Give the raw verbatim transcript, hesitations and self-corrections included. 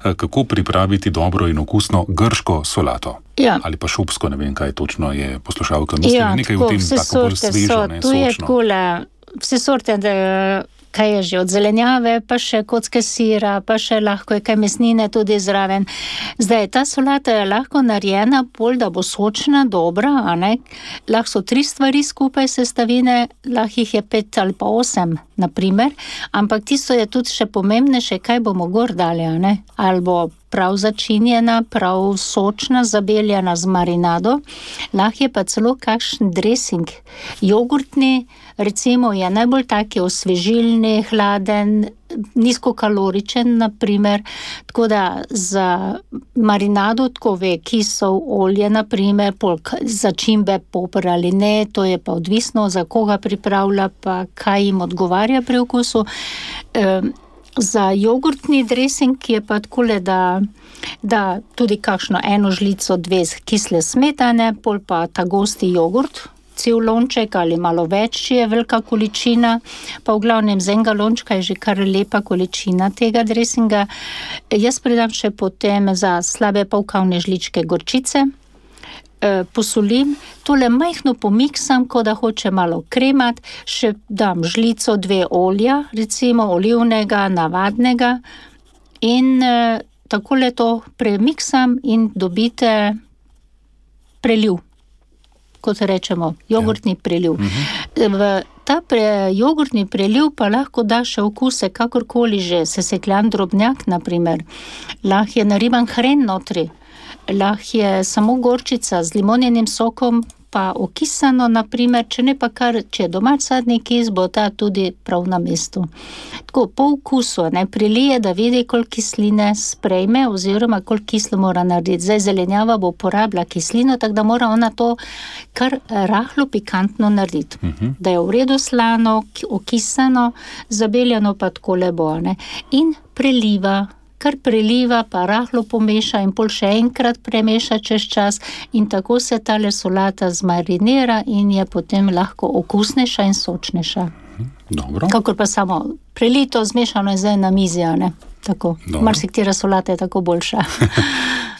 kako pripraviti dobro in okusno grško solato. Ja. Ali pa šopsko, ne vem, kaj točno je poslušalka mislila. Ja, nekaj tako, v tem tako bolj svežo, so, ne, tu je sočno. takole, vse sorte, da, kaj je že od zelenjave, pa še kocke sira, pa še lahko je kaj mesnine tudi zraven. Zdaj, ta solata je lahko narejena bolj, da bo sočna, dobra, a ne? Lahko so tri stvari skupaj sestavine, lahko jih je pet ali pa osem, naprimer, ampak tisto je tudi še pomembnejše, kaj bomo gor dali, a ne? Ali bo prav začinjena, prav sočna, zabeljena z marinado, lahko je pa celo kakšen dressing, jogurtni, recimo je najbolj taki osvežilni, hladen, nizkokaloričen, naprimer, tako da za marinado tako ve, kisov, olje, naprimer, polk, začimbe, poper ali ne, to je pa odvisno, za koga pripravlja, pa kaj jim odgovarja pri okusu. E, Za jogurtni dressing je pa takole, da, da tudi kakšno eno žlico, dve kisle smetane, pol pa ta gosti jogurt, cel lonček ali malo več, če je velika količina, pa v glavnem z enega lončka je že kar lepa količina tega dressinga. Jaz pridam še potem za slabe pol kavne žličke gorčice, posolim, tole majhno pomiksam, ko da hoče malo kremat, še dam žlico, dve olja, recimo olivnega, navadnega in eh, takole to premiksam in dobite preliv, kot rečemo, jogurtni ja. preliv. Mhm. V ta pre, jogurtni preliv pa lahko da še okuse, kakorkoli že, sesekljan drobnjak, naprimer, lahko je nariban hren notri, lahko je samo gorčica z limonjenim sokom, pa okisano, naprimer, če ne pa kar, če je domač sadni kis, bo ta tudi prav na mestu. Tako, po okusu, ne, prilije, da vidi, koliko kisline sprejme, oziroma koliko kislo mora narediti. Zdaj, zelenjava bo porabila kislino, tako da mora ona to kar rahlo pikantno narediti. Uh-huh. Da je v redu slano, okisano, zabeljeno pa takole bo, ne. In preliva, kar preliva, pa rahlo pomeša in pol še enkrat premeša čez čas in tako se tale solata zmarinira in je potem lahko okusnejša in sočnejša. Dobro. Kakor pa samo prelito, zmešano je zdaj na mizi, ne? Tako. Marsikatera solata je tako boljša.